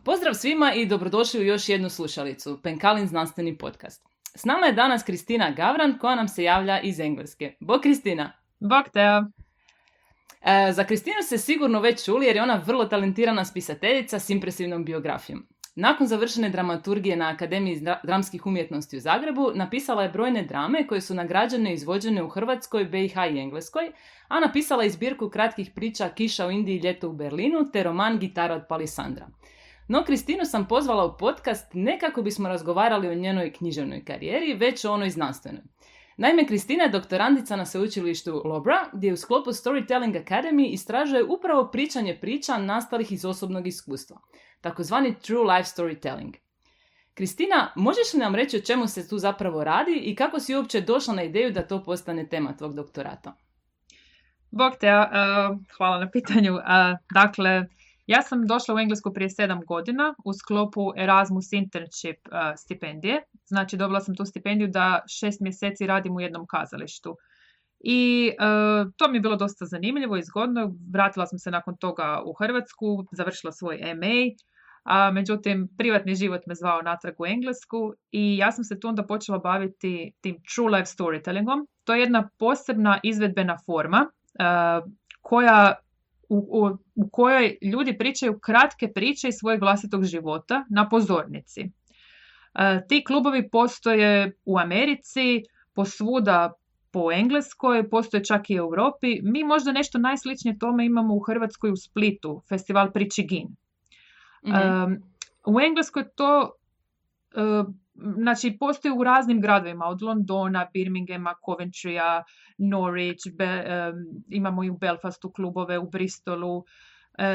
Pozdrav svima i dobrodošli u još jednu slušalicu, Penkalin znanstveni podcast. S nama je danas Kristina Gavran koja nam se javlja iz Engleske. Bog Kristina! Bog Teo! Za Kristinu ste sigurno već čuli jer je ona vrlo talentirana spisateljica s impresivnom biografijom. Nakon završene dramaturgije na Akademiji dramskih umjetnosti u Zagrebu, napisala je brojne drame koje su nagrađene i izvođene u Hrvatskoj, BiH i Engleskoj, a napisala je zbirku kratkih priča Kiša u Indiji, Ljeto u Berlinu te roman Gitara od Palisandra. No, Kristinu sam pozvala u podcast ne kako bismo razgovarali o njenoj književnoj karijeri, već o onoj znanstvenoj. Naime, Kristina je doktorandica na sveučilištu Loughborough, gdje u sklopu Storytelling Academy istražuje upravo pričanje priča nastalih iz osobnog iskustva, takozvani True Life Storytelling. Kristina, možeš li nam reći o čemu se tu zapravo radi i kako si uopće došla na ideju da to postane tema tvog doktorata? Bog Teo, hvala na pitanju. Dakle, ja sam došla u Englesku prije 7 godina u sklopu Erasmus Internship stipendije. Znači, dobila sam tu stipendiju da 6 mjeseci radim u jednom kazalištu. I to mi je bilo dosta zanimljivo i zgodno. Vratila sam se nakon toga u Hrvatsku, završila svoj MA. Međutim, privatni život me zvao natrag u Englesku i ja sam se tu onda počela baviti tim true life storytellingom. To je jedna posebna izvedbena forma u kojoj ljudi pričaju kratke priče iz svojeg vlastitog života na pozornici. Ti klubovi postoje u Americi, posvuda po Engleskoj, postoje čak i u Europi. Mi možda nešto najsličnije tome imamo u Hrvatskoj u Splitu, festival Priči Gin. U Engleskoj to znači postoji u raznim gradovima, od Londona, Birminghama, Coventrya, Norwich, imamo i u Belfastu klubove, u Bristolu.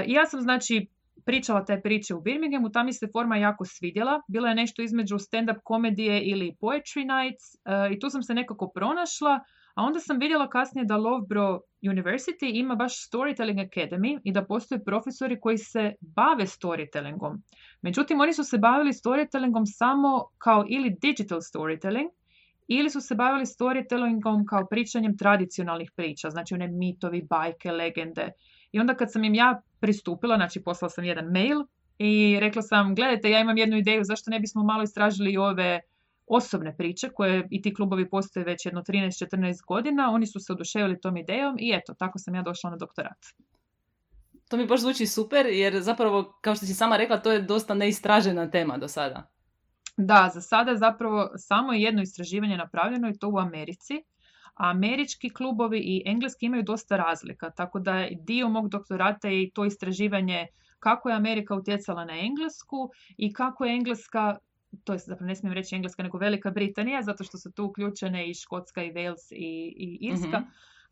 I ja sam znači pričala te priče u Birminghamu, tam mi se forma jako svidjela. Bilo je nešto između stand-up komedije ili poetry nights i tu sam se nekako pronašla, a onda sam vidjela kasnije da Loughborough University ima baš Storytelling Academy i da postoje profesori koji se bave storytellingom. Međutim, oni su se bavili storytellingom samo kao ili digital storytelling, ili su se bavili storytellingom kao pričanjem tradicionalnih priča, znači one mitovi, bajke, legende. I onda kad sam im ja pristupila, znači poslala sam jedan mail i rekla sam, gledajte, ja imam jednu ideju, zašto ne bismo malo istražili i ove osobne priče koje i ti klubovi postoje već jedno 13-14 godina. Oni su se oduševili tom idejom i eto, tako sam ja došla na doktorat. To mi baš zvuči super jer zapravo, kao što si sama rekla, to je dosta neistražena tema do sada. Da, za sada zapravo samo jedno istraživanje napravljeno i to u Americi. A američki klubovi i engleski imaju dosta razlika, tako da je dio mog doktorata i to istraživanje kako je Amerika utjecala na Englesku i kako je Engleska, to je zapravo ne smijem reći Engleska nego Velika Britanija, zato što su tu uključene i Škotska i Wales i Irska,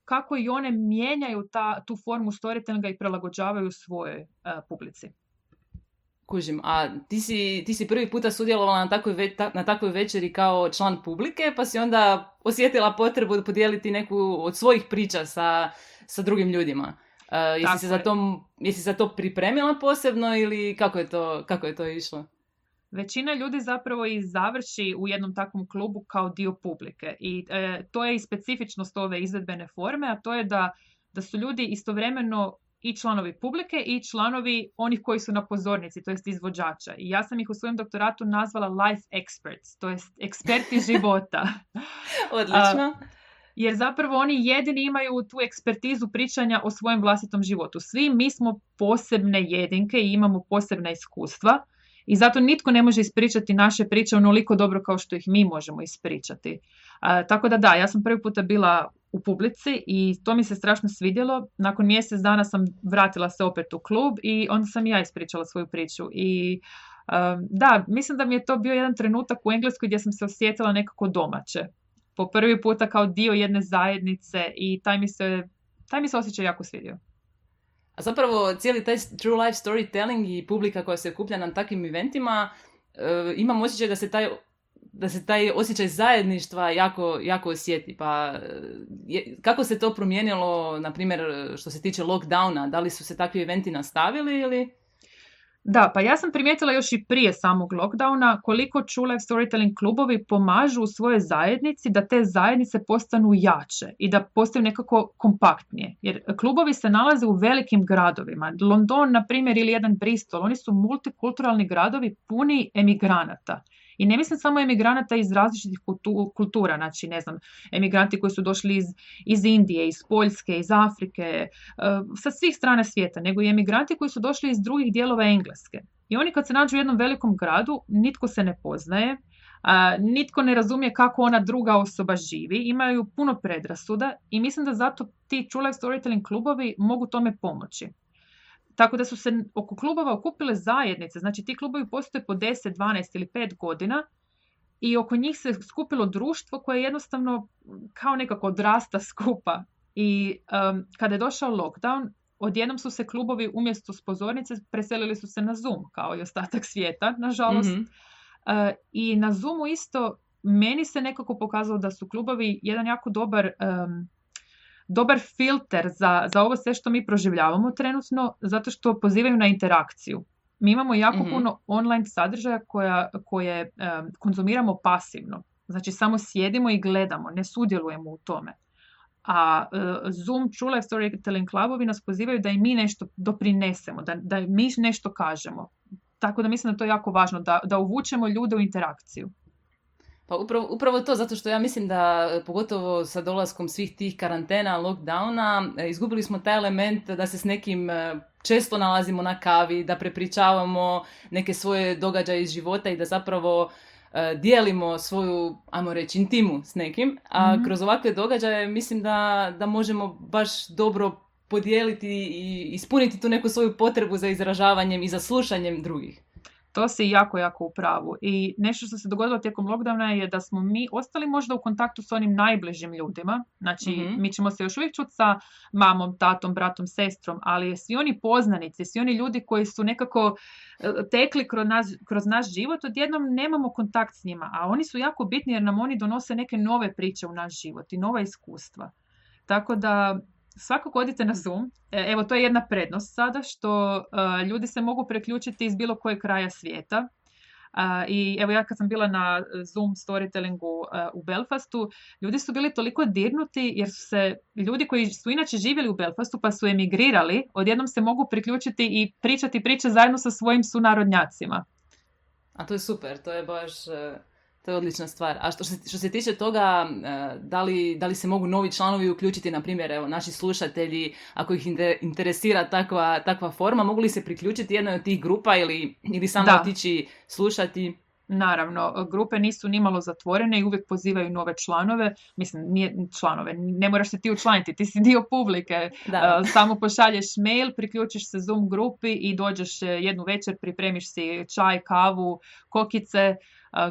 kako i one mijenjaju tu formu storytellinga i prilagođavaju svojoj publici. Kužim, a ti si prvi puta sudjelovala na takvoj večeri kao član publike, pa si onda osjetila potrebu podijeliti neku od svojih priča sa drugim ljudima. Jesi za to pripremila posebno ili kako je to išlo? Većina ljudi zapravo i završi u jednom takvom klubu kao dio publike i to je i specifičnost ove izvedbene forme, a to je da su ljudi istovremeno i članovi publike i članovi onih koji su na pozornici, to jest izvođača. I ja sam ih u svojem doktoratu nazvala life experts, to jest eksperti života. Odlično. Jer zapravo oni jedini imaju tu ekspertizu pričanja o svojem vlastitom životu. Svi mi smo posebne jedinke i imamo posebna iskustva i zato nitko ne može ispričati naše priče onoliko dobro kao što ih mi možemo ispričati. Tako da, ja sam prvi puta bila u publici i to mi se strašno svidjelo. Nakon mjesec dana sam vratila se opet u klub i onda sam ja ispričala svoju priču. I da, mislim da mi je to bio jedan trenutak u Engleskoj gdje sam se osjetila nekako domaće. Po prvi puta kao dio jedne zajednice i taj mi se osjećaj jako svidio. A zapravo cijeli taj true life storytelling i publika koja se okuplja na takvim eventima, imam osjećaj da se taj osjećaj zajedništva jako osjeti. Pa kako se to promijenilo, na primjer, što se tiče lockdowna? Da li su se takvi eventi nastavili ili? Da, pa ja sam primijetila još i prije samog lockdowna koliko True Life Storytelling klubovi pomažu u svojoj zajednici da te zajednice postanu jače i da postaju nekako kompaktnije. Jer klubovi se nalaze u velikim gradovima. London, na primjer, ili jedan Bristol, oni su multikulturalni gradovi puni emigranata. I ne mislim samo emigranata iz različitih kultura, znači ne znam, emigranti koji su došli iz Indije, iz Poljske, iz Afrike, sa svih strana svijeta, nego i emigranti koji su došli iz drugih dijelova Engleske. I oni kad se nađu u jednom velikom gradu, nitko se ne poznaje, nitko ne razumije kako ona druga osoba živi, imaju puno predrasuda i mislim da zato ti True Life Storytelling klubovi mogu tome pomoći. Tako da su se oko klubova okupile zajednice, znači ti klubovi postoje po 10, 12 ili 5 godina i oko njih se skupilo društvo koje jednostavno kao nekako odrasta skupa. I kada je došao lockdown, odjednom su se klubovi umjesto s pozornice preselili su se na Zoom, kao i ostatak svijeta, nažalost. Mhm. I na Zoomu isto meni se nekako pokazalo da su klubovi jedan jako dobar filter za ovo sve što mi proživljavamo trenutno, zato što pozivaju na interakciju. Mi imamo jako puno online sadržaja koje konzumiramo pasivno. Znači samo sjedimo i gledamo, ne sudjelujemo u tome. A Zoom, True Life Storytelling klubovi nas pozivaju da i mi nešto doprinesemo, da mi nešto kažemo. Tako da mislim da to je jako važno, da uvučemo ljude u interakciju. Pa upravo to, zato što ja mislim da, pogotovo sa dolaskom svih tih karantena, lockdowna, izgubili smo taj element da se s nekim često nalazimo na kavi, da prepričavamo neke svoje događaje iz života i da zapravo dijelimo svoju, ajmo reći, intimu s nekim. A kroz ovakve događaje mislim da možemo baš dobro podijeliti i ispuniti tu neku svoju potrebu za izražavanjem i za slušanjem drugih. To si jako, jako u pravu. I nešto što se dogodilo tijekom lockdowna je da smo mi ostali možda u kontaktu s onim najbližim ljudima. Znači, mi ćemo se još uvijek čuti sa mamom, tatom, bratom, sestrom, ali svi oni poznanici, svi oni ljudi koji su nekako tekli kroz naš život, odjednom nemamo kontakt s njima. A oni su jako bitni jer nam oni donose neke nove priče u naš život i nova iskustva. Tako da svakako odite na Zoom. Evo, to je jedna prednost sada, što ljudi se mogu preključiti iz bilo kojeg kraja svijeta. I evo, ja kad sam bila na Zoom storytellingu u Belfastu, ljudi su bili toliko dirnuti jer su se ljudi koji su inače živjeli u Belfastu pa su emigrirali, odjednom se mogu priključiti i pričati priče zajedno sa svojim sunarodnjacima. A to je super, to je baš... To je odlična stvar. A što se tiče toga, da li se mogu novi članovi uključiti, na primjer, evo, naši slušatelji, ako ih interesira takva forma, mogu li se priključiti jednoj od tih grupa ili samo otići slušati? Naravno, grupe nisu nimalo zatvorene i uvijek pozivaju nove članove. Mislim, nije članove, ne moraš se ti učlaniti, ti si dio publike. Samo pošalješ mail, priključiš se Zoom grupi i dođeš jednu večer, pripremiš si čaj, kavu, kokice,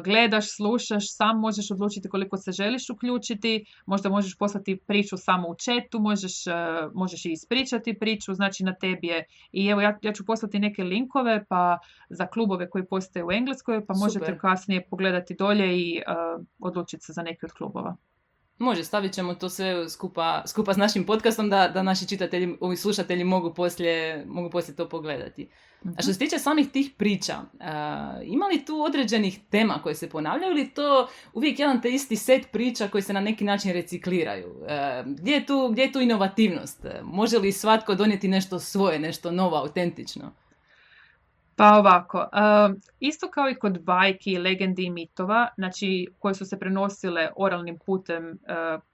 gledaš, slušaš, sam možeš odlučiti koliko se želiš uključiti, možda možeš poslati priču samo u chatu, možeš i ispričati priču, znači na tebi je. I evo, ja ću poslati neke linkove pa za klubove koji postoje u Engleskoj, pa možete Super. Kasnije pogledati dolje i odlučiti se za neki od klubova. Može, stavit ćemo to sve skupa s našim podcastom da naši čitatelji, ovi slušatelji mogu poslije to pogledati. A što se tiče samih tih priča, ima li tu određenih tema koje se ponavljaju ili to uvijek jedan te isti set priča koji se na neki način recikliraju? Gdje je tu inovativnost? Može li svatko donijeti nešto svoje, nešto novo, autentično? Pa ovako, isto kao i kod bajki, legendi i mitova, znači koje su se prenosile oralnim putem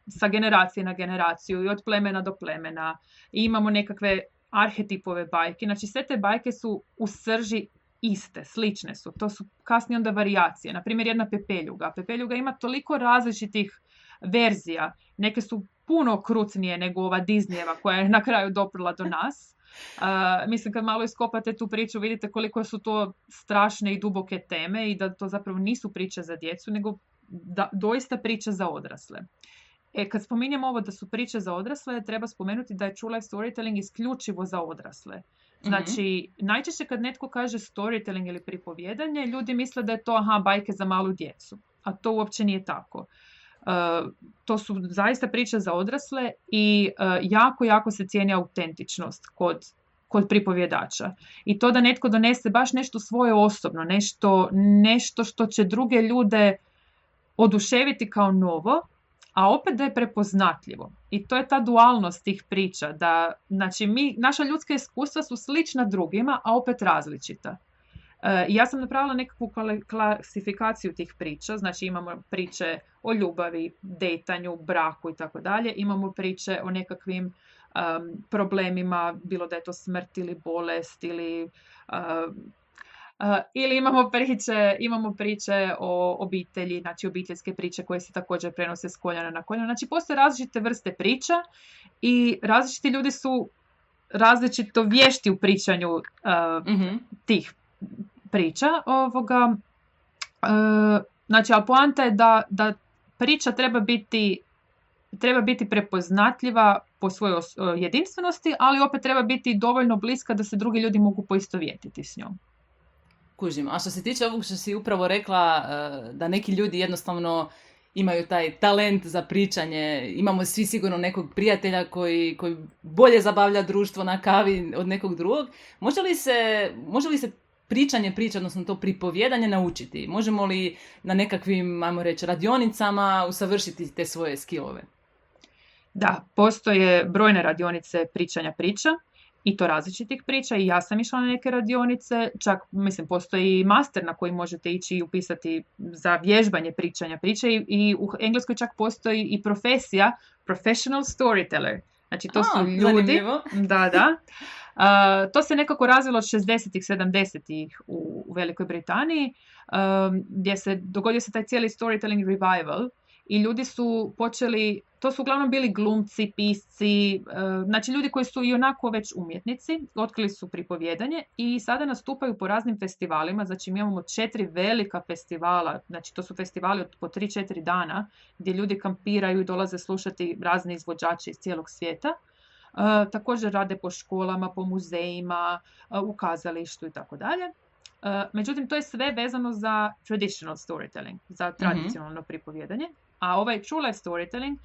sa generacije na generaciju i od plemena do plemena. I imamo nekakve arhetipove bajke, znači sve te bajke su u srži iste, slične su. To su kasnije onda varijacije. Naprimjer, jedna Pepeljuga. Pepeljuga ima toliko različitih verzija. Neke su puno krucnije nego ova Disneyeva koja je na kraju doprla do nas. Mislim, kad malo iskopate tu priču, vidite koliko su to strašne i duboke teme i da to zapravo nisu priče za djecu, nego doista priče za odrasle. Kad spominjemo ovo da su priče za odrasle, treba spomenuti da je True Life Storytelling isključivo za odrasle. Znači, najčešće kad netko kaže storytelling ili pripovjedanje, ljudi misle da je to bajke za malu djecu. A to uopće nije tako. To su zaista priče za odrasle i jako, jako se cijeni autentičnost kod kod pripovjedača. I to da netko donese baš nešto svoje osobno, nešto što će druge ljude oduševiti kao novo, a opet da je prepoznatljivo. I to je ta dualnost tih priča, da znači naša ljudska iskustva su slična drugima, a opet različita. Ja sam napravila nekakvu klasifikaciju tih priča, znači imamo priče o ljubavi, dejtanju, braku i tako dalje, imamo priče o nekakvim problemima, bilo da je to smrt ili bolest ili imamo priče o obitelji, znači obiteljske priče koje se također prenose s koljena na koljeno. Znači postoje različite vrste priča i različiti ljudi su različito vješti u pričanju tih priča. Znači, ali poanta je da priča treba biti prepoznatljiva po svojoj jedinstvenosti, ali opet treba biti dovoljno bliska da se drugi ljudi mogu poistovjetiti s njom. Kužim. A što se tiče ovog što si upravo rekla, da neki ljudi jednostavno imaju taj talent za pričanje, imamo svi sigurno nekog prijatelja koji bolje zabavlja društvo na kavi od nekog drugog, može li se pričanje priče, odnosno to pripovjedanje naučiti? Možemo li na nekakvim, ajmo reći, radionicama usavršiti te svoje skillove? Da, postoje brojne radionice pričanja priča i to različitih priča i ja sam išla na neke radionice, čak postoji master na koji možete ići i upisati za vježbanje pričanja priče i u Engleskoj čak postoji i profesija professional storyteller. Znači to su ljudi, zanimljivo. Da. To se nekako razvilo od 60-ih, 70-ih u Velikoj Britaniji, gdje dogodio se taj cijeli storytelling revival i ljudi su počeli, to su uglavnom bili glumci, pisci, znači ljudi koji su i onako već umjetnici, otkrili su pripovjedanje i sada nastupaju po raznim festivalima, znači mi imamo 4 velika festivala, znači to su festivali od po 3-4 dana gdje ljudi kampiraju i dolaze slušati razne izvođače iz cijelog svijeta. Također rade po školama, po muzejima, u kazalištu i tako dalje. Međutim, to je sve vezano za traditional storytelling, za tradicionalno pripovjedanje. A ovaj true life storytelling,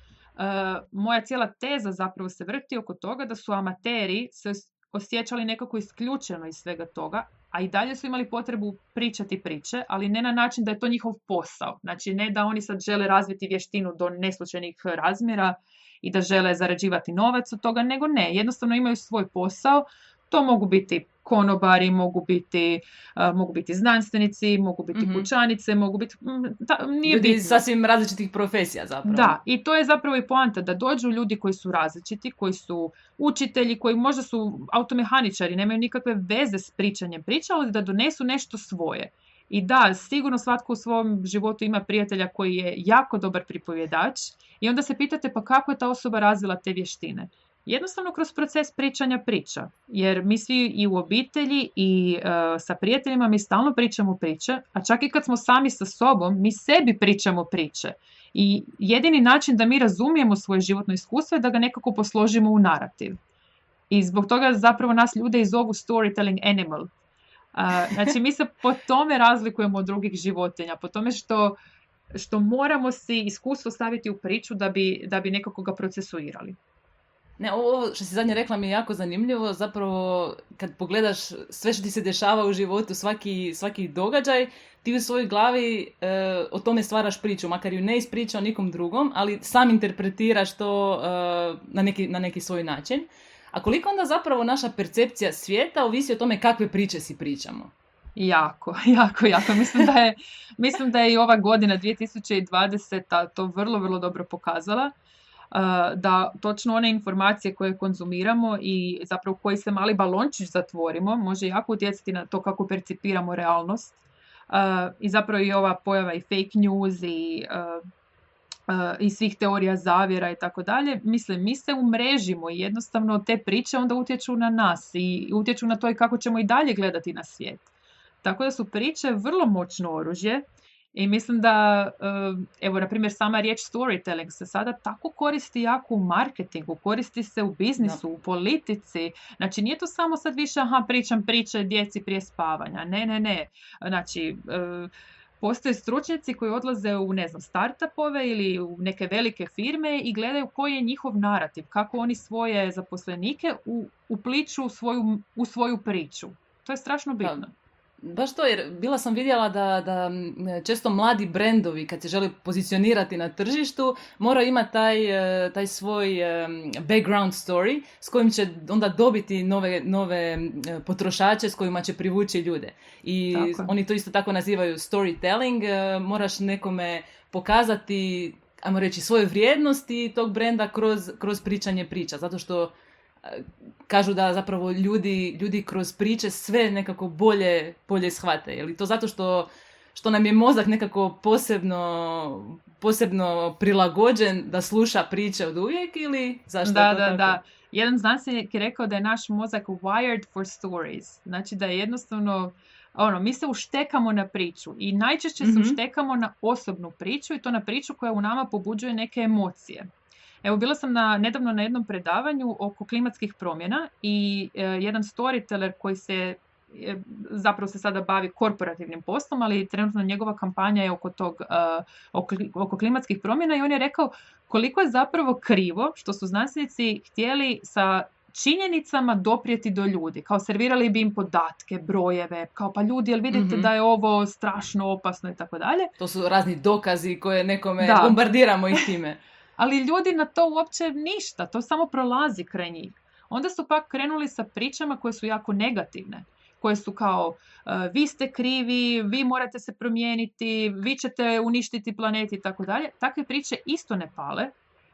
moja cijela teza zapravo se vrti oko toga da su amateri se osjećali nekako isključeno iz svega toga, a i dalje su imali potrebu pričati priče, ali ne na način da je to njihov posao. Znači ne da oni sad žele razviti vještinu do neslučajnih razmjera i da žele zarađivati novac od toga, nego ne, jednostavno imaju svoj posao. To mogu biti konobari, mogu biti znanstvenici, mogu biti kućanice, mogu biti... Nije ljudi bitno. Sasvim različitih profesija zapravo. Da, i to je zapravo i poanta, da dođu ljudi koji su različiti, koji su učitelji, koji možda su automehaničari, nemaju nikakve veze s pričanjem priča, ali da donesu nešto svoje. I da, sigurno svatko u svom životu ima prijatelja koji je jako dobar pripovjedač i onda se pitate pa kako je ta osoba razvila te vještine. Jednostavno kroz proces pričanja priča, jer mi svi i u obitelji i sa prijateljima mi stalno pričamo priče, a čak i kad smo sami sa sobom, mi sebi pričamo priče. I jedini način da mi razumijemo svoje životno iskustvo je da ga nekako posložimo u narativ. I zbog toga zapravo nas ljude i zovu storytelling animal. Znači mi se po tome razlikujemo od drugih životinja, po tome što moramo si iskustvo staviti u priču da bi nekako ga procesuirali. Ne, ovo što si zadnje rekla mi je jako zanimljivo, zapravo kad pogledaš sve što ti se dešava u životu, svaki događaj, ti u svojoj glavi o tome stvaraš priču, makar ju ne ispričao nikom drugom, ali sam interpretiraš to na neki svoj način. A koliko onda zapravo naša percepcija svijeta ovisi o tome kakve priče si pričamo? Jako. Mislim da je i ova godina 2020 to vrlo, vrlo dobro pokazala. Da točno one informacije koje konzumiramo i zapravo koji se mali balončić zatvorimo može jako utjecati na to kako percipiramo realnost. I zapravo i ova pojava i fake news i svih teorija zavjera i tako dalje. Mislim, mi se umrežimo i jednostavno te priče onda utječu na nas i utječu na to i kako ćemo i dalje gledati na svijet. Tako da su priče vrlo moćno oružje. I mislim da, evo, na primjer, sama riječ storytelling se sada tako koristi jako u marketingu, koristi se u biznisu, u politici. Znači, nije to samo sad više, pričam priče djeci prije spavanja. Ne. Znači, postoje stručnjaci koji odlaze u, ne znam, startupove ili u neke velike firme i gledaju koji je njihov narativ, kako oni svoje zaposlenike upliču u svoju priču. To je strašno bitno. Baš to, jer bila sam vidjela da često mladi brendovi kad se žele pozicionirati na tržištu moraju imati taj svoj background story s kojim će onda dobiti nove potrošače s kojima će privući ljude. I oni to isto tako nazivaju storytelling. Moraš nekome pokazati, ajmo reći, svoje vrijednosti tog brenda kroz pričanje priča, zato što kažu da zapravo ljudi kroz priče sve nekako bolje shvate. Je li to zato što nam je mozak nekako posebno prilagođen da sluša priče od uvijek ili zašto je to tako? Da. Jedan znanstvenik je rekao da je naš mozak wired for stories. Znači da je jednostavno mi se uštekamo na priču i najčešće se uštekamo na osobnu priču i to na priču koja u nama pobuđuje neke emocije. Evo, bila sam nedavno na jednom predavanju oko klimatskih promjena i jedan storyteller koji zapravo se sada bavi korporativnim poslom, ali trenutno njegova kampanja je oko klimatskih promjena i on je rekao koliko je zapravo krivo što su znanstvenici htjeli sa činjenicama doprijeti do ljudi. Kao servirali bi im podatke, brojeve, kao pa ljudi, jel vidite da je ovo strašno opasno i tako dalje. To su razni dokazi koje nekome bombardiramo ih time. Ali ljudi na to uopće ništa, to samo prolazi kraj njih. Onda su pak krenuli sa pričama koje su jako negativne, koje su kao vi ste krivi, vi morate se promijeniti, vi ćete uništiti planet i tako dalje. Takve priče isto ne pale,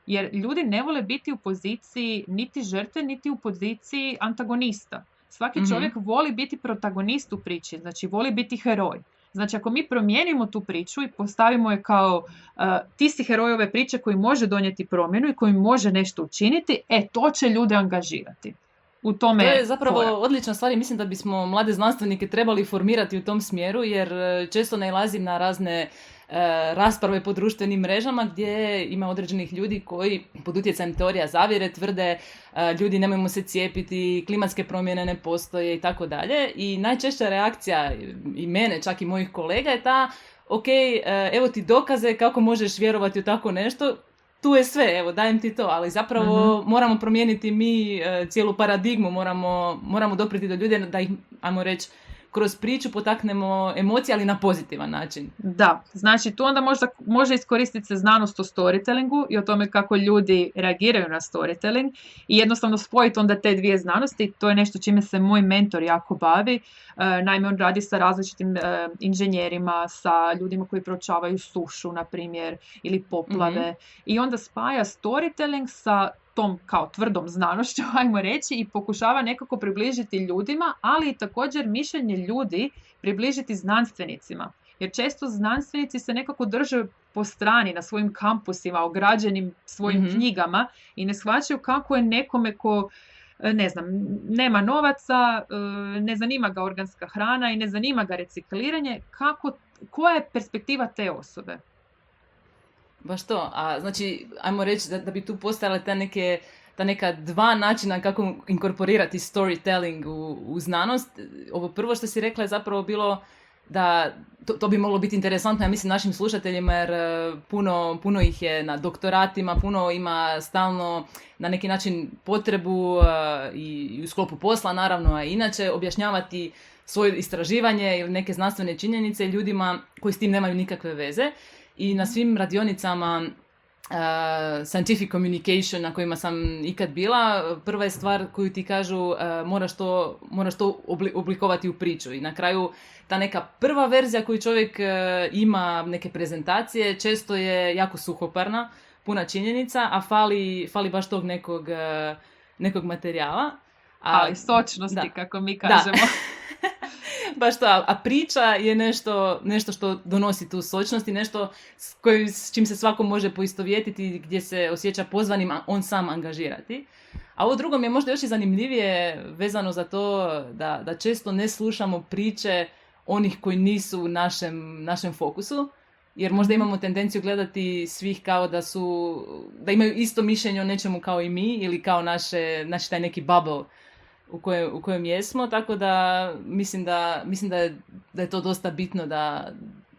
jer ljudi ne vole biti u poziciji niti žrtve, niti u poziciji antagonista. Svaki čovjek voli biti protagonist u priči, znači voli biti heroj. Znači, ako mi promijenimo tu priču i postavimo je kao ti si heroj ove priče koji može donijeti promjenu i koji može nešto učiniti, to će ljude angažirati. To je zapravo odlična stvar i mislim da bismo mlade znanstvenike trebali formirati u tom smjeru, jer često nailazim na razne rasprave po društvenim mrežama gdje ima određenih ljudi koji pod utjecajem teorija zavjere tvrde ljudi nemojmo se cijepiti, klimatske promjene ne postoje i tako dalje. I najčešća reakcija i mene, čak i mojih kolega je ta evo ti dokaze kako možeš vjerovati u tako nešto, tu je sve, evo dajem ti to, ali zapravo moramo promijeniti mi cijelu paradigmu, moramo dopriti do ljudi da ih, ajmo reći, kroz priču potaknemo emocije, ali na pozitivan način. Da, znači tu onda može iskoristiti se znanost o storytellingu i o tome kako ljudi reagiraju na storytelling i jednostavno spojiti onda te dvije znanosti. To je nešto čime se moj mentor jako bavi. Naime, on radi sa različitim inženjerima, sa ljudima koji proučavaju sušu, na primjer, ili poplave. I onda spaja storytelling sa tom kao tvrdom znanošću, ajmo reći, i pokušava nekako približiti ljudima, ali i također mišljenje ljudi približiti znanstvenicima. Jer često znanstvenici se nekako drže po strani na svojim kampusima, ograđenim svojim knjigama i ne shvaćaju kako je nekome ko, ne znam, nema novaca, ne zanima ga organska hrana i ne zanima ga recikliranje, koja je perspektiva te osobe? Baš to, a znači, ajmo reći da bi tu postojale ta neka dva načina kako inkorporirati storytelling u znanost. Ovo prvo što si rekla je zapravo bilo da to bi moglo biti interesantno, ja mislim, našim slušateljima, jer puno ih je na doktoratima, puno ima stalno na neki način potrebu i u sklopu posla naravno, a inače objašnjavati svoje istraživanje ili neke znanstvene činjenice ljudima koji s tim nemaju nikakve veze. I na svim radionicama scientific communication na kojima sam ikad bila, prva je stvar koju ti kažu moraš to oblikovati u priču. I na kraju ta neka prva verzija koju čovjek ima, neke prezentacije, često je jako suhoparna, puna činjenica, a fali baš tog nekog materijala. Ali sočnosti, kako mi kažemo. Baš to, a priča je nešto što donosi tu sočnost i nešto s čim se svako može poistovjetiti, gdje se osjeća pozvanim on sam angažirati. A ovo drugo mi je možda još i zanimljivije vezano za to da često ne slušamo priče onih koji nisu u našem fokusu, jer možda imamo tendenciju gledati svih kao da imaju isto mišljenje o nečemu kao i mi ili kao naš taj neki bubble u kojem jesmo, tako da mislim da je to dosta bitno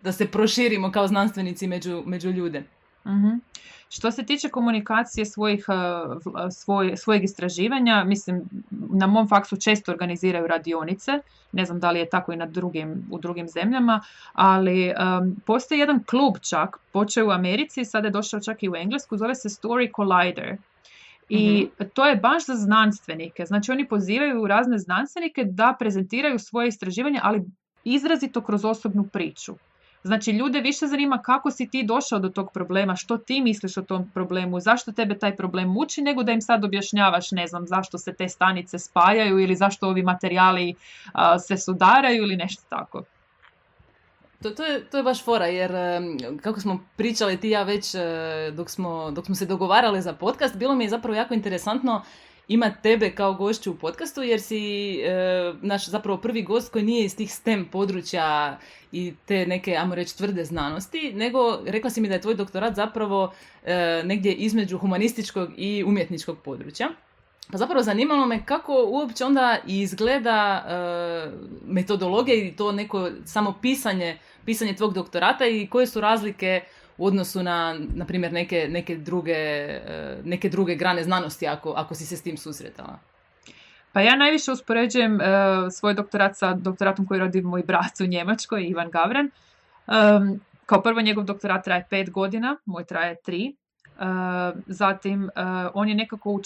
da se proširimo kao znanstvenici među ljude. Mm-hmm. Što se tiče komunikacije svojeg istraživanja, mislim, na mom faksu često organiziraju radionice, ne znam da li je tako i u drugim zemljama, ali postoji jedan klub čak, počeo u Americi, sada je došao čak i u Englesku, zove se Story Collider. I to je baš za znanstvenike. Znači oni pozivaju razne znanstvenike da prezentiraju svoje istraživanje, ali izrazito kroz osobnu priču. Znači, ljude više zanima kako si ti došao do tog problema, što ti misliš o tom problemu, zašto tebe taj problem muči, nego da im sad objašnjavaš, ne znam, zašto se te stanice spajaju ili zašto ovi materijali se sudaraju ili nešto tako. To je baš fora, jer kako smo pričali ti ja već dok smo se dogovarali za podcast, bilo mi je zapravo jako interesantno imati tebe kao gošću u podcastu, jer si naš zapravo prvi gost koji nije iz tih STEM područja i te neke, ajmo reći, tvrde znanosti, nego rekla si mi da je tvoj doktorat zapravo negdje između humanističkog i umjetničkog područja. Pa zapravo zanimalo me kako uopće onda izgleda metodologija i to neko samo pisanje tvog doktorata i koje su razlike u odnosu na primjer, neke druge grane znanosti, ako si se s tim susretala. Pa ja najviše uspoređujem svoj doktorat sa doktoratom koji radi moj brat u Njemačkoj, Ivan Gavran. Kao prvo, njegov doktorat traje 5 godina, moj traje 3. Zatim, on je nekako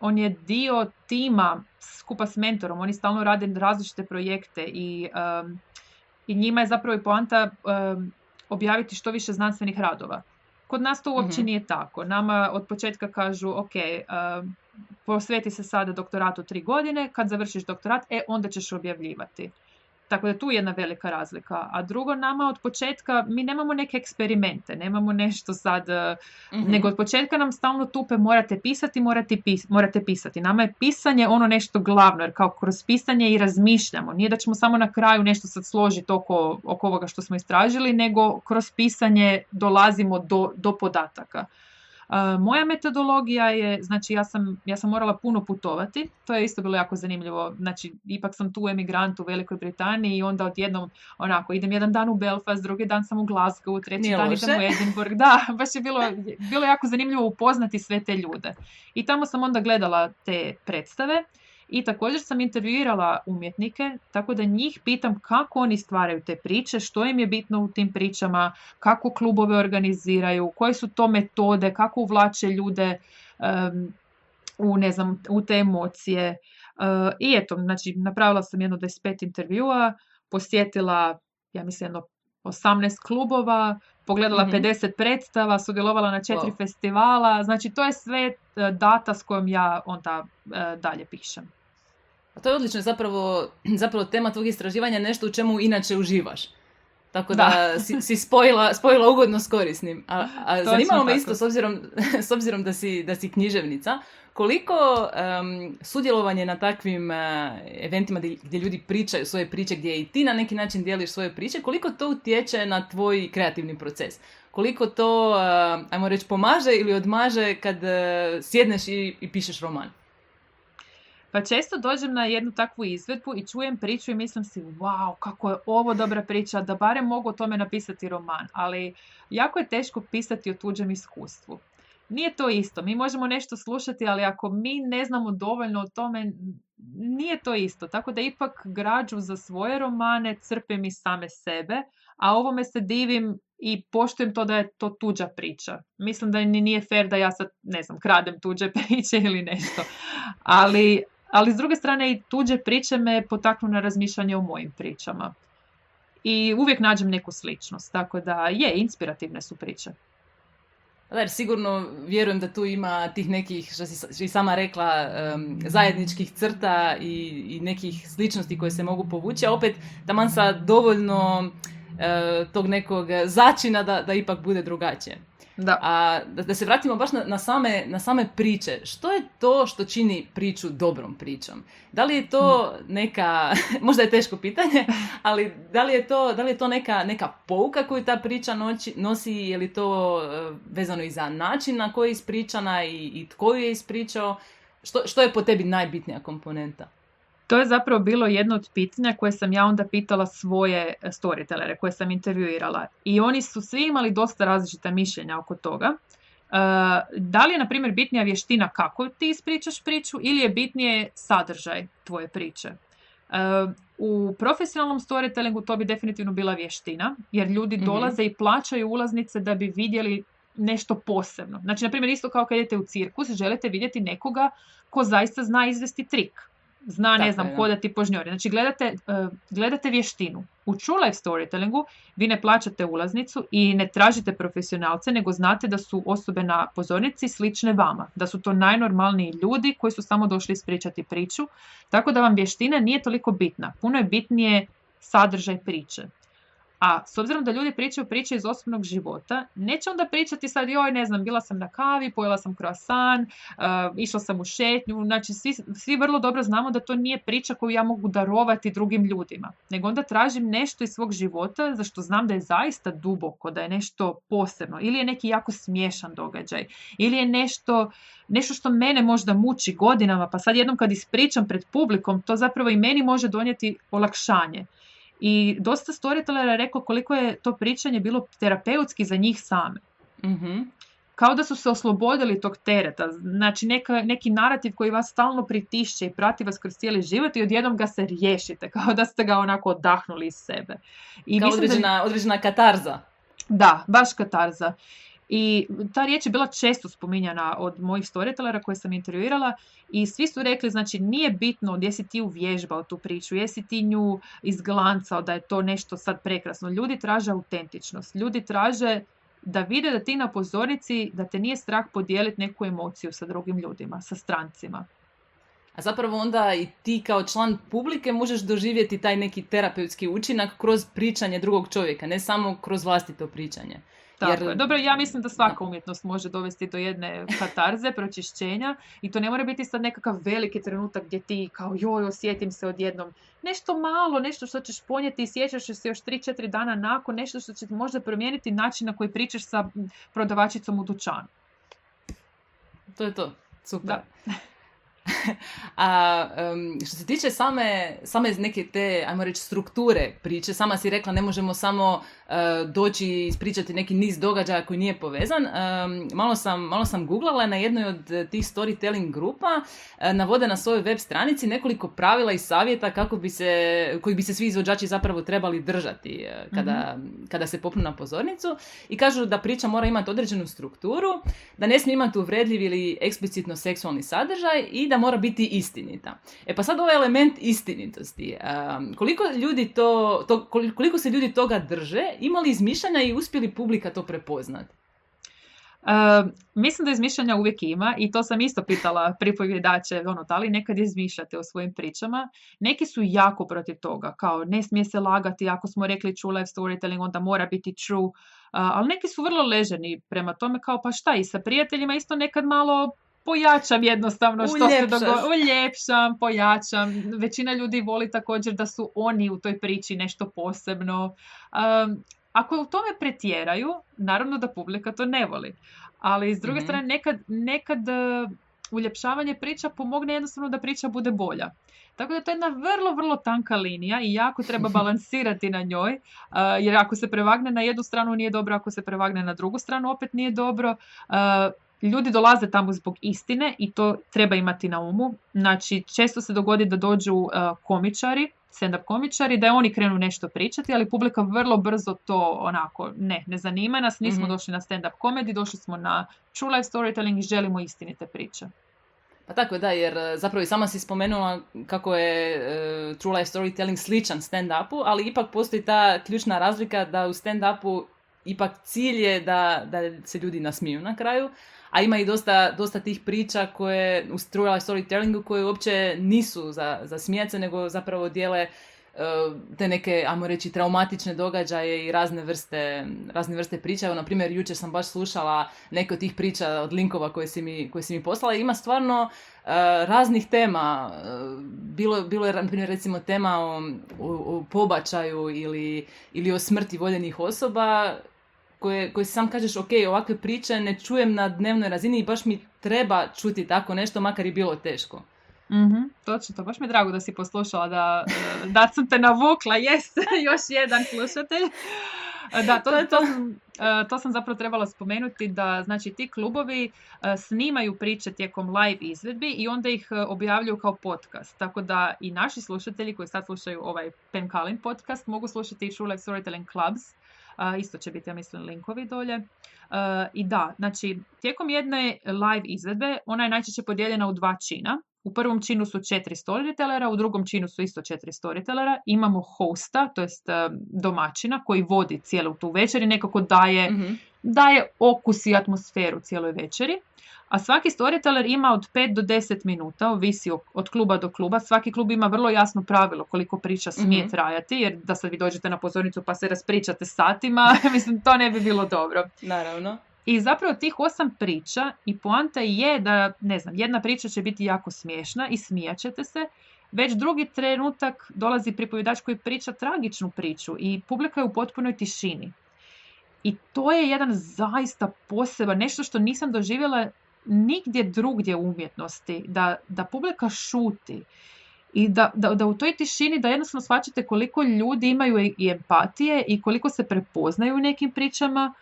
on je dio tima skupa s mentorom, oni stalno rade različite projekte i njima je zapravo i poanta objaviti što više znanstvenih radova. Kod nas to uopće nije tako. Nama od početka kažu, ok, posveti se sada doktoratu 3 godine, kad završiš doktorat, onda ćeš objavljivati. Tako da tu je jedna velika razlika. A drugo, nama od početka, mi nemamo neke eksperimente, nemamo nešto sad, nego od početka nam stalno tupe morate pisati. Nama je pisanje ono nešto glavno, jer kao kroz pisanje i razmišljamo. Nije da ćemo samo na kraju nešto sad složiti oko ovoga što smo istražili, nego kroz pisanje dolazimo do podataka. Moja metodologija je, znači ja sam morala puno putovati, to je isto bilo jako zanimljivo, znači ipak sam tu emigrant u Velikoj Britaniji i onda odjednom onako idem jedan dan u Belfast, drugi dan sam u Glasgow, treći dan idem u Edinburgh, da, baš je bilo jako zanimljivo upoznati sve te ljude. I tamo sam onda gledala te predstave i također sam intervjuirala umjetnike, tako da njih pitam kako oni stvaraju te priče, što im je bitno u tim pričama, kako klubove organiziraju, koje su to metode, kako uvlače ljude u te emocije. I eto, znači, napravila sam jedno 25 intervjua, posjetila, ja mislim, 18 klubova, pogledala 50 predstava, sudjelovala na 4 festivala, znači to je sve data s kojom ja onda dalje pišem. A to je odlično, zapravo tema tvog istraživanja je nešto u čemu inače uživaš. Tako da si spojila ugodno s korisnim. A zanimalo me isto, s obzirom da si književnica, koliko sudjelovanje na takvim eventima gdje ljudi pričaju svoje priče, gdje i ti na neki način dijeliš svoje priče, koliko to utječe na tvoj kreativni proces? Koliko to, ajmo reći, pomaže ili odmaže kad sjedneš i pišeš roman? Pa često dođem na jednu takvu izvedbu i čujem priču i mislim si, wow, kako je ovo dobra priča, da barem mogu o tome napisati roman, ali jako je teško pisati o tuđem iskustvu. Nije to isto, mi možemo nešto slušati, ali ako mi ne znamo dovoljno o tome, nije to isto. Tako da ipak građu za svoje romane crpim iz same sebe, a ovome se divim i poštujem to da je to tuđa priča. Mislim da nije fair da ja sad, ne znam, kradem tuđe priče ili nešto, ali s druge strane i tuđe priče me potaknu na razmišljanje o mojim pričama. I uvijek nađem neku sličnost, tako da inspirativne su priče. Jer sigurno vjerujem da tu ima tih nekih, što si sama rekla, zajedničkih crta i nekih sličnosti koje se mogu povući, a opet taman sa dovoljno tog nekog začina da ipak bude drugačije. Da. A da se vratimo baš na same priče. Što je to što čini priču dobrom pričom? Da li je to neka, možda je teško pitanje, ali da li je to neka pouka koju ta priča nosi, je li to vezano i za način na koji je ispričana i tko ju je ispričao? Što je po tebi najbitnija komponenta? To je zapravo bilo jedno od pitanja koje sam ja onda pitala svoje storytellere koje sam intervjuirala. I oni su svi imali dosta različita mišljenja oko toga. Da li je, na primjer, bitnija vještina kako ti ispričaš priču ili je bitnije sadržaj tvoje priče? U profesionalnom storytellingu to bi definitivno bila vještina, jer ljudi dolaze i plaćaju ulaznice da bi vidjeli nešto posebno. Znači, na primjer, isto kao kad idete u cirkus, želite vidjeti nekoga ko zaista zna izvesti trik. Zna, ne znam, hodati po žnjori. Znači, gledate vještinu. U true life storytellingu vi ne plaćate ulaznicu i ne tražite profesionalce, nego znate da su osobe na pozornici slične vama. Da su to najnormalniji ljudi koji su samo došli ispričati priču. Tako da vam vještina nije toliko bitna. Puno je bitnije sadržaj priče. A s obzirom da ljudi pričaju priče iz osobnog života, neće onda pričati sad, joj, ne znam, bila sam na kavi, pojela sam croissant, išla sam u šetnju. Znači, svi vrlo dobro znamo da to nije priča koju ja mogu darovati drugim ljudima. Nego onda tražim nešto iz svog života za što znam da je zaista duboko, da je nešto posebno. Ili je neki jako smiješan događaj. Ili je nešto što mene možda muči godinama, pa sad jednom kad ispričam pred publikom, to zapravo i meni može donijeti olakšanje. I dosta storytellera je rekao koliko je to pričanje bilo terapeutski za njih same. Mm-hmm. Kao da su se oslobodili tog tereta. Znači neki narativ koji vas stalno pritišće i prati vas kroz cijeli život i odjednom ga se riješite. Kao da ste ga onako odahnuli iz sebe. I kao određena katarza. Da, baš katarza. I ta riječ je bila često spominjana od mojih storytellera koje sam intervjuirala i svi su rekli, znači, nije bitno gdje si ti uvježbao tu priču, jesi ti nju izglancao da je to nešto sad prekrasno. Ljudi traže autentičnost, ljudi traže da vide da ti na pozornici, da te nije strah podijeliti neku emociju sa drugim ljudima, sa strancima. A zapravo onda i ti kao član publike možeš doživjeti taj neki terapeutski učinak kroz pričanje drugog čovjeka, ne samo kroz vlastito pričanje. Tako je. Dobro, ja mislim da svaka umjetnost može dovesti do jedne katarze, pročišćenja i to ne mora biti sad nekakav veliki trenutak gdje ti kao joj, osjetim se odjednom. Nešto malo, nešto što ćeš ponijeti i sjećaš se još 3-4 dana nakon, nešto što će možda promijeniti način na koji pričaš sa prodavačicom u dućanu. To je to. Super. Da. A što se tiče same neke te, ajmo reći, strukture priče, sama si rekla ne možemo samo doći i ispričati neki niz događaja koji nije povezan. Malo sam googlala na jednoj od tih storytelling grupa, navode na svojoj web stranici nekoliko pravila i savjeta koji bi se svi izvođači zapravo trebali držati kada se popnu na pozornicu i kažu da priča mora imati određenu strukturu, da ne smije imati uvredljiv ili eksplicitno seksualni sadržaj i da mora biti istinita. Pa sad ovaj element istinitosti, koliko se ljudi toga drže, imali izmišljanja i uspjeli publika to prepoznati? Mislim da izmišljanja uvijek ima i to sam isto pitala pripovjedače, da li nekad izmišljate o svojim pričama. Neki su jako protiv toga, kao ne smije se lagati, ako smo rekli true life storytelling, onda mora biti true, ali neki su vrlo leženi prema tome, kao pa šta, i sa prijateljima isto nekad malo pojačam jednostavno što se događa. Uljepšam, pojačam. Većina ljudi voli također da su oni u toj priči nešto posebno. Ako u tome pretjeraju, naravno da publika to ne voli. Ali s druge strane, nekad uljepšavanje priča pomogne jednostavno da priča bude bolja. Tako da to je jedna vrlo, vrlo tanka linija i jako treba balansirati na njoj, jer ako se prevagne na jednu stranu nije dobro, ako se prevagne na drugu stranu opet nije dobro. Ljudi dolaze tamo zbog istine i to treba imati na umu. Znači, često se dogodi da dođu komičari, stand-up komičari, da oni krenu nešto pričati, ali publika vrlo brzo to onako, ne zanima nas, nismo došli na stand-up komedi, došli smo na true life storytelling i želimo istinite priče. Pa tako da, jer zapravo i sama si spomenula kako je true life storytelling sličan stand-upu, ali ipak postoji ta ključna razlika da u stand-upu ipak cilj je da se ljudi nasmiju na kraju, a ima i dosta tih priča koje u true life storytellingu koje uopće nisu za smijat se, nego zapravo dijele te neke, ajmo reći, traumatične događaje i razne vrste priča. Evo, na primjer, jučer sam baš slušala neke od tih priča od linkova koje si mi poslala. Ima stvarno raznih tema. Bilo je, na primjer, recimo tema o pobačaju ili o smrti voljenih osoba, koje sam kažeš, ok, ovakve priče ne čujem na dnevnoj razini i baš mi treba čuti tako nešto, makar i bilo teško. Točno to. Baš mi je drago da si poslušala, da sam te navukla. Još jedan slušatelj. Da, to sam zapravo trebala spomenuti, da znači ti klubovi snimaju priče tijekom live izvedbi i onda ih objavljuju kao podcast. Tako da i naši slušatelji koji sad slušaju ovaj Penkalin podcast mogu slušati i True Life Storytelling Clubs. Isto će biti, ja mislim, linkovi dolje. I da, znači, tijekom jedne live izvedbe ona je najčešće podijeljena u 2 čina. U prvom činu su 4 storytellera, u drugom činu su isto 4 storytellera. Imamo hosta, to jest domaćina, koji vodi cijelu tu večer i nekako daje okus i atmosferu cijeloj večeri. A svaki storyteller ima od 5 do 10 minuta, ovisi od kluba do kluba. Svaki klub ima vrlo jasno pravilo koliko priča smije trajati, jer da sad vi dođete na pozornicu pa se raspričate satima, mislim, to ne bi bilo dobro. Naravno. I zapravo tih 8 priča i poanta je da, ne znam, jedna priča će biti jako smiješna i smijat ćete se, već drugi trenutak dolazi pripovjedač koji priča tragičnu priču i publika je u potpunoj tišini. I to je jedan zaista poseban, nešto što nisam doživjela nigdje drugdje u umjetnosti, da publika šuti i da u toj tišini da jednostavno shvaćate koliko ljudi imaju i empatije i koliko se prepoznaju u nekim pričama,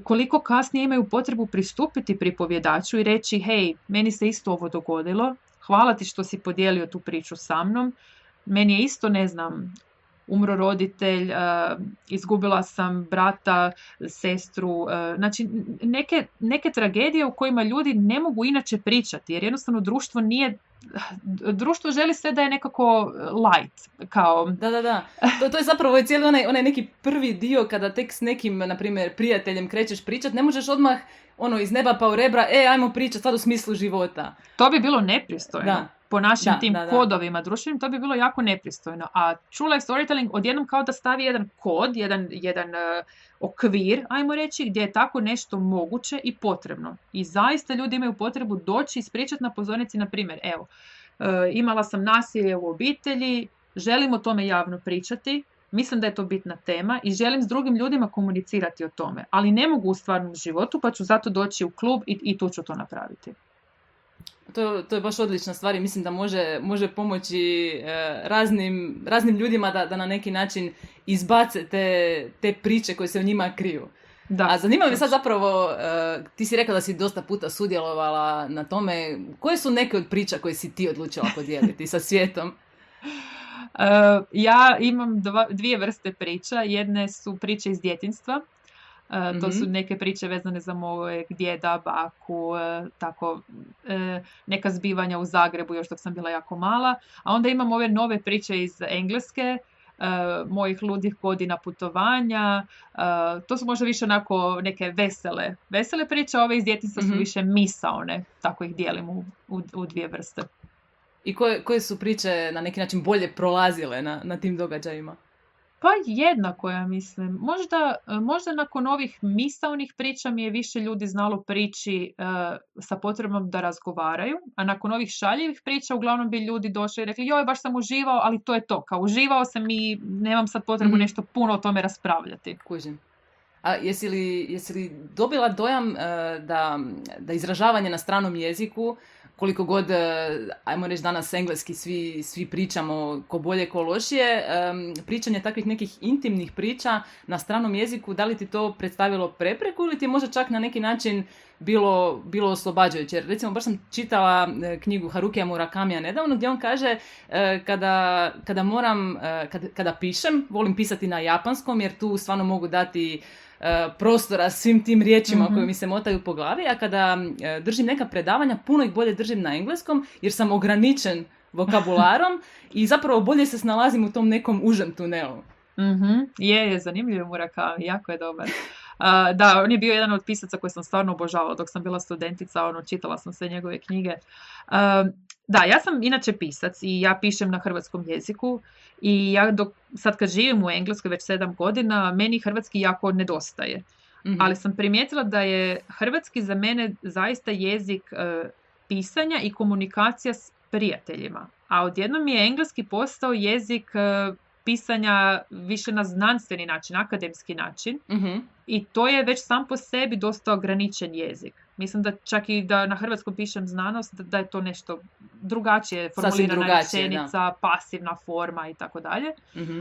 koliko kasnije imaju potrebu pristupiti pripovjedaču i reći hej, meni se isto ovo dogodilo, hvala ti što si podijelio tu priču sa mnom, meni je isto, ne znam, umro roditelj, izgubila sam brata, sestru, znači neke tragedije u kojima ljudi ne mogu inače pričati, jer jednostavno društvo želi sve da je nekako light, kao... Da. To je zapravo cijeli onaj neki prvi dio kada tek s nekim, na primjer, prijateljem krećeš pričat, ne možeš odmah iz neba pa u rebra, ajmo pričat sad u smislu života. To bi bilo nepristojno. Po našim tim kodovima društvenim, to bi bilo jako nepristojno. A True Life Storytelling odjednom kao da stavi jedan kod, jedan okvir, ajmo reći, gdje je tako nešto moguće i potrebno. I zaista ljudi imaju potrebu doći i ispričati na pozornici, na primjer, evo, imala sam nasilje u obitelji, želim o tome javno pričati, mislim da je to bitna tema i želim s drugim ljudima komunicirati o tome, ali ne mogu u stvarnom životu, pa ću zato doći u klub i tu ću to napraviti. To je baš odlična stvar i mislim da može pomoći raznim ljudima da na neki način izbace te priče koje se u njima kriju. Da, a zanima me sad zapravo, ti si rekla da si dosta puta sudjelovala na tome, koje su neke od priča koje si ti odlučila podijeliti sa svijetom? Ja imam 2 vrste priča. Jedne su priče iz djetinjstva. To su neke priče vezane za mojeg djeda, baku, tako neka zbivanja u Zagrebu još dok sam bila jako mala. A onda imam ove nove priče iz Engleske, mojih ludih godina putovanja. To su možda više onako neke vesele priče, ove iz djetinjstva su više misaone, tako ih dijelim u 2 vrste. I koje su priče na neki način bolje prolazile na tim događajima? Pa jednako, ja mislim. Možda nakon ovih misaonih priča mi je više ljudi znalo prići sa potrebom da razgovaraju, a nakon ovih šaljivih priča uglavnom bi ljudi došli i rekli joj, baš sam uživao, ali to je to. Kao uživao sam i nemam sad potrebu nešto puno o tome raspravljati. Kužim. A jesi li dobila dojam da izražavanje na stranom jeziku, koliko god, ajmo reći danas engleski svi pričamo ko bolje ko lošije, pričanje takvih nekih intimnih priča na stranom jeziku, da li ti to predstavilo prepreku ili ti je možda čak na neki način bilo oslobađajuće? Jer recimo baš sam čitala knjigu Harukija Murakamija nedavno gdje on kaže kada pišem, volim pisati na japanskom jer tu stvarno mogu dati prostora svim tim riječima koje mi se motaju po glavi, a kada držim neka predavanja, puno ih bolje držim na engleskom jer sam ograničen vokabularom i zapravo bolje se snalazim u tom nekom užem tunelu. Je zanimljiv Murakami, jako je dobar. Da, on je bio jedan od pisaca koji sam stvarno obožavala dok sam bila studentica, čitala sam sve njegove knjige. Da, ja sam inače pisac i ja pišem na hrvatskom jeziku i ja sad kad živim u Engleskoj već 7 godina, meni hrvatski jako nedostaje. Ali sam primijetila da je hrvatski za mene zaista jezik pisanja i komunikacija s prijateljima. A odjednom je engleski postao jezik pisanja više na znanstveni način, akademski način. I to je već sam po sebi dosta ograničen jezik. Mislim da čak i da na hrvatskom pišem znanost, da je to nešto drugačije Sasvim formulirana drugačije, rečenica, pasivna forma i tako dalje. Mhm.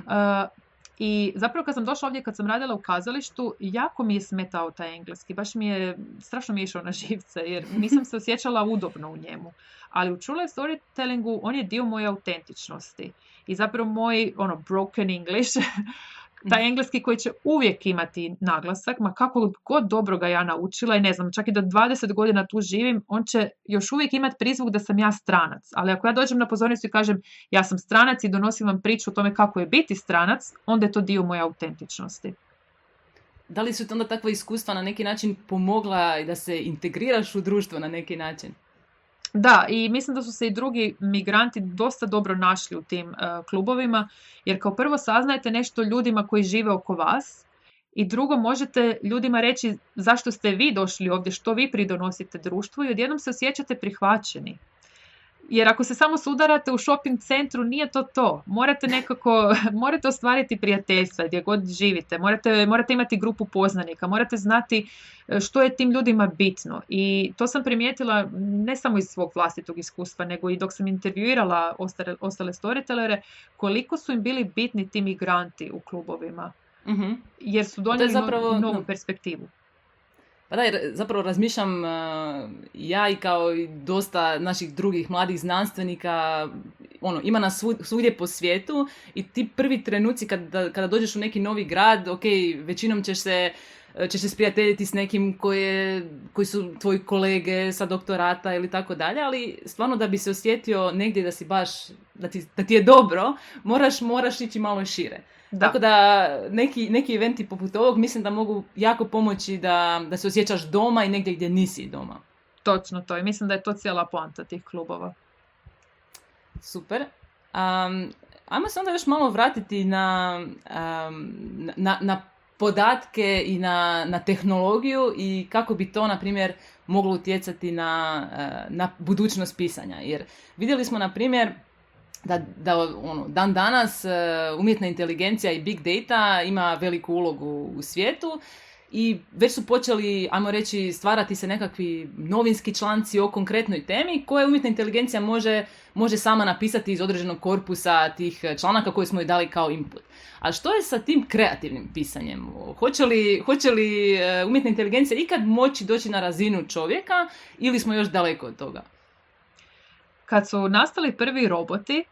I zapravo kad sam došla ovdje, kad sam radila u kazalištu, jako mi je smetao taj engleski. Baš strašno mi je išao na živce, jer nisam se osjećala udobno u njemu. Ali u True Life Storytellingu on je dio moje autentičnosti. I zapravo moj broken English, taj engleski koji će uvijek imati naglasak, ma kako god dobro ga ja naučila i ne znam, čak i da 20 godina tu živim, on će još uvijek imati prizvuk da sam ja stranac. Ali ako ja dođem na pozornicu i kažem ja sam stranac i donosim vam priču o tome kako je biti stranac, onda je to dio moje autentičnosti. Da li su ti onda takva iskustva na neki način pomogla da se integriraš u društvo na neki način? Da, i mislim da su se i drugi migranti dosta dobro našli u tim klubovima, jer kao prvo saznajete nešto ljudima koji žive oko vas i drugo možete ljudima reći zašto ste vi došli ovdje, što vi pridonosite društvu i odjednom se osjećate prihvaćeni. Jer ako se samo sudarate u shopping centru, nije to. Morate ostvariti prijateljstva gdje god živite, morate imati grupu poznanika, morate znati što je tim ljudima bitno. I to sam primijetila ne samo iz svog vlastitog iskustva, nego i dok sam intervjuirala ostale storytellere, koliko su im bili bitni ti migranti u klubovima. Mm-hmm. Jer su donijeli novu perspektivu. Pa da, jer zapravo razmišljam ja i kao i dosta naših drugih mladih znanstvenika, ima nas svugdje po svijetu i ti prvi trenuci kada dođeš u neki novi grad, ok, većinom ćeš se sprijateljiti s nekim koji su tvoji kolege sa doktorata ili tako dalje, ali stvarno da bi se osjetio negdje da si baš, da ti je dobro, moraš ići malo šire. Da. Tako da neki eventi poput ovog mislim da mogu jako pomoći da se osjećaš doma i negdje gdje nisi doma. Točno to i mislim da je to cijela poanta tih klubova. Super. Ajmo se onda još malo vratiti na podatke i na tehnologiju i kako bi to, na primjer, moglo utjecati na budućnost pisanja. Jer vidjeli smo, na primjer, dan danas umjetna inteligencija i big data ima veliku ulogu u svijetu i već su počeli, ajmo reći, stvarati se nekakvi novinski članci o konkretnoj temi koje umjetna inteligencija može sama napisati iz određenog korpusa tih članaka koje smo joj dali kao input. A što je sa tim kreativnim pisanjem? Hoće li umjetna inteligencija ikad moći doći na razinu čovjeka ili smo još daleko od toga? Kad su nastali prvi roboti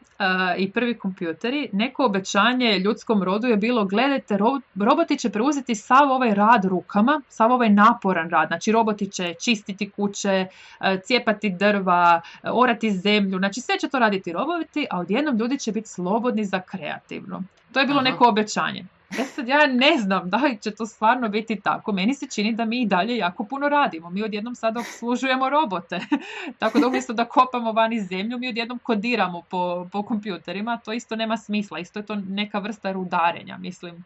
i prvi kompjuteri, neko obećanje ljudskom rodu je bilo gledajte, roboti će preuzeti sav ovaj rad rukama, sav ovaj naporan rad. Znači roboti će čistiti kuće, cijepati drva, orati zemlju, znači sve će to raditi roboti, a odjednom ljudi će biti slobodni za kreativno. To je bilo neko obećanje. Sad ja ne znam da li će to stvarno biti tako. Meni se čini da mi i dalje jako puno radimo. Mi odjednom sada obslužujemo robote. Tako da umjesto da kopamo vani zemlju, mi odjednom kodiramo po kompjuterima. To isto nema smisla. Isto je to neka vrsta rudarenja, mislim.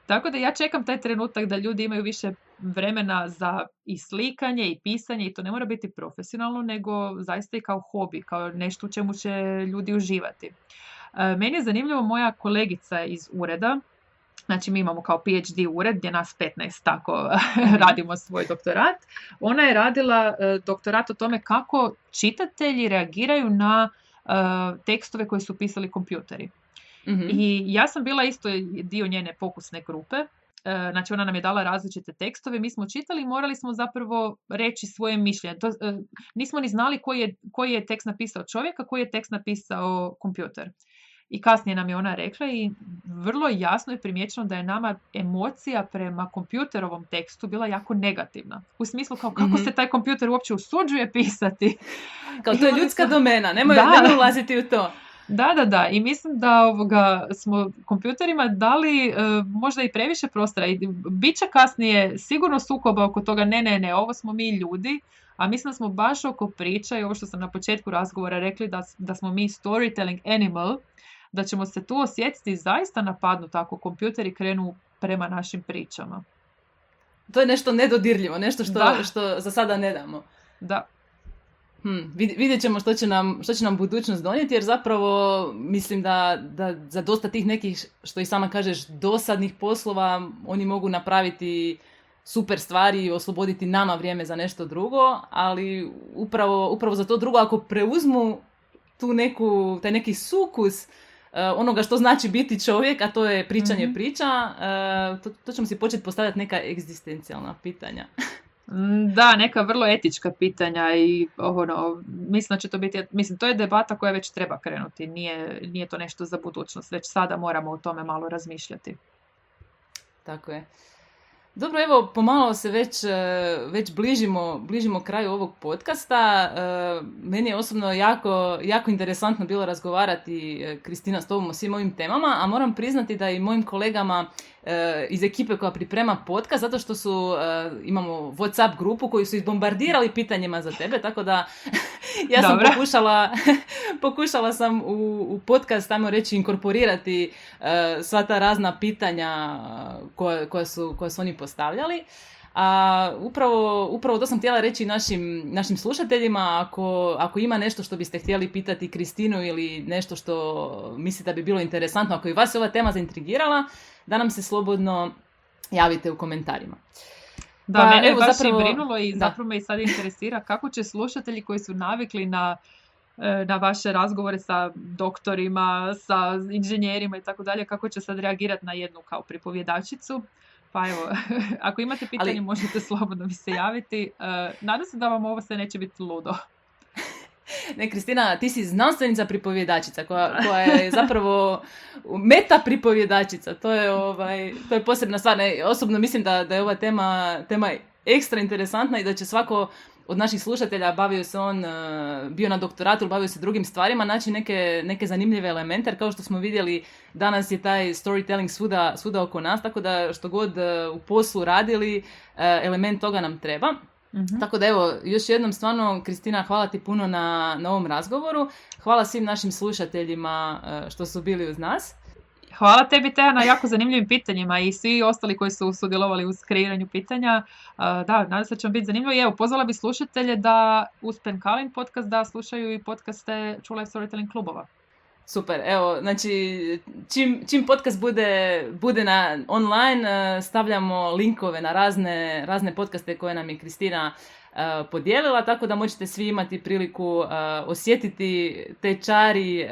Tako da ja čekam taj trenutak da ljudi imaju više vremena za i slikanje i pisanje i to ne mora biti profesionalno, nego zaista i kao hobi, kao nešto u čemu će ljudi uživati. Meni je zanimljivo moja kolegica iz ureda, znači mi imamo kao PhD ured gdje nas 15 tako radimo svoj doktorat. Ona je radila doktorat o tome kako čitatelji reagiraju na tekstove koje su pisali kompjuteri. Mm-hmm. I ja sam bila isto dio njene pokusne grupe. Znači ona nam je dala različite tekstove, mi smo čitali i morali smo zapravo reći svoje mišljenje. Nismo ni znali koji je tekst napisao čovjek, a koji je tekst napisao kompjuter. I kasnije nam je ona rekla i vrlo jasno je primijećeno da je nama emocija prema kompjuterovom tekstu bila jako negativna. U smislu kao kako se taj kompjuter uopće usuđuje pisati. Kao to je ljudska domena, nemoj ulaziti u to. Da. I mislim da smo kompjuterima dali možda i previše prostora. I bit će kasnije sigurno sukoba oko toga ne, ovo smo mi ljudi. A mislim da smo baš oko priča i ovo što sam na početku razgovora rekli da smo mi storytelling animal, da ćemo se tu osjetiti zaista napadnuti ako kompjuteri krenu prema našim pričama. To je nešto nedodirljivo, nešto što za sada ne damo. Da. Vidjet ćemo što će nam budućnost donijeti, jer zapravo mislim da za dosta tih nekih, što i sama kažeš, dosadnih poslova, oni mogu napraviti super stvari i osloboditi nama vrijeme za nešto drugo, ali upravo za to drugo, ako preuzmu taj neki sukus onoga što znači biti čovjek, a to je pričanje priča, to ćemo si početi postavljati neka egzistencijalna pitanja. Da, neka vrlo etička pitanja i mislim da će to biti, to je debata koja već treba krenuti, nije to nešto za budućnost, već sada moramo o tome malo razmišljati. Tako je. Dobro, evo, pomalo se već bližimo kraju ovog podcasta. Meni je osobno jako interesantno bilo razgovarati, Kristina, s tobom o svim ovim temama, a moram priznati da i mojim kolegama iz ekipe koja priprema podcast, zato što imamo WhatsApp grupu koju su izbombardirali pitanjima za tebe, tako da ja sam pokušala sam u podcast, ajmo reći, inkorporirati sva ta razna pitanja koja su oni postavljali. A upravo to sam htjela reći našim slušateljima, ako ima nešto što biste htjeli pitati Kristinu ili nešto što mislite da bi bilo interesantno, ako i vas je ova tema zaintrigirala, da nam se slobodno javite u komentarima. Da, mene je baš i brinulo i zapravo me i sad interesira kako će slušatelji koji su navikli na vaše razgovore sa doktorima, sa inženjerima i tako dalje, kako će sad reagirati na jednu kao pripovjedačicu. Pa evo, ako imate pitanje možete slobodno mi se javiti. Nadam se da vam ovo sve neće biti ludo. Ne, Kristina, ti si znanstvenica pripovjedačica koja je zapravo meta pripovjedačica. To je posebna stvar. Osobno mislim da je ova tema ekstra interesantna i da će svako od naših slušatelja, bavio se on, bio na doktoratu, bavio se drugim stvarima, naći neke zanimljive elemente, jer kao što smo vidjeli, danas je taj storytelling svuda oko nas, tako da što god u poslu radili, element toga nam treba. Mm-hmm. Tako da evo, još jednom stvarno, Kristina, hvala ti puno na ovom razgovoru. Hvala svim našim slušateljima što su bili uz nas. Hvala tebi, Teja, na jako zanimljivim pitanjima i svi ostali koji su sudjelovali u kreiranju pitanja. Da, nadam se da će vam biti zanimljivo. I evo, pozvala bi slušatelje da uz Penkalin podcast da slušaju i podcaste True Life Storytelling klubova. Super, evo, znači čim podcast bude na online, stavljamo linkove na razne podcaste koje nam je Kristina podijelila, tako da možete svi imati priliku osjetiti te čari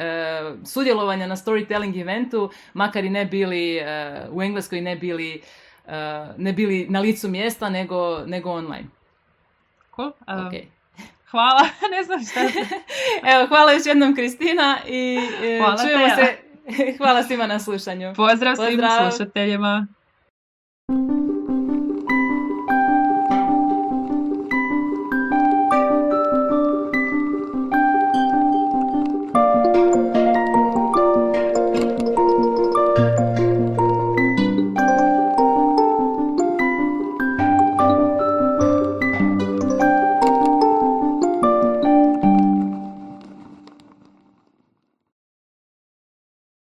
sudjelovanja na storytelling eventu, makar i ne bili u Engleskoj, ne bili na licu mjesta, nego online. Cool. Okay. Hvala, ne znam šta se... Evo, hvala još jednom, Kristina, i čujemo se. Hvala svima na slušanju. Pozdrav svim slušateljima.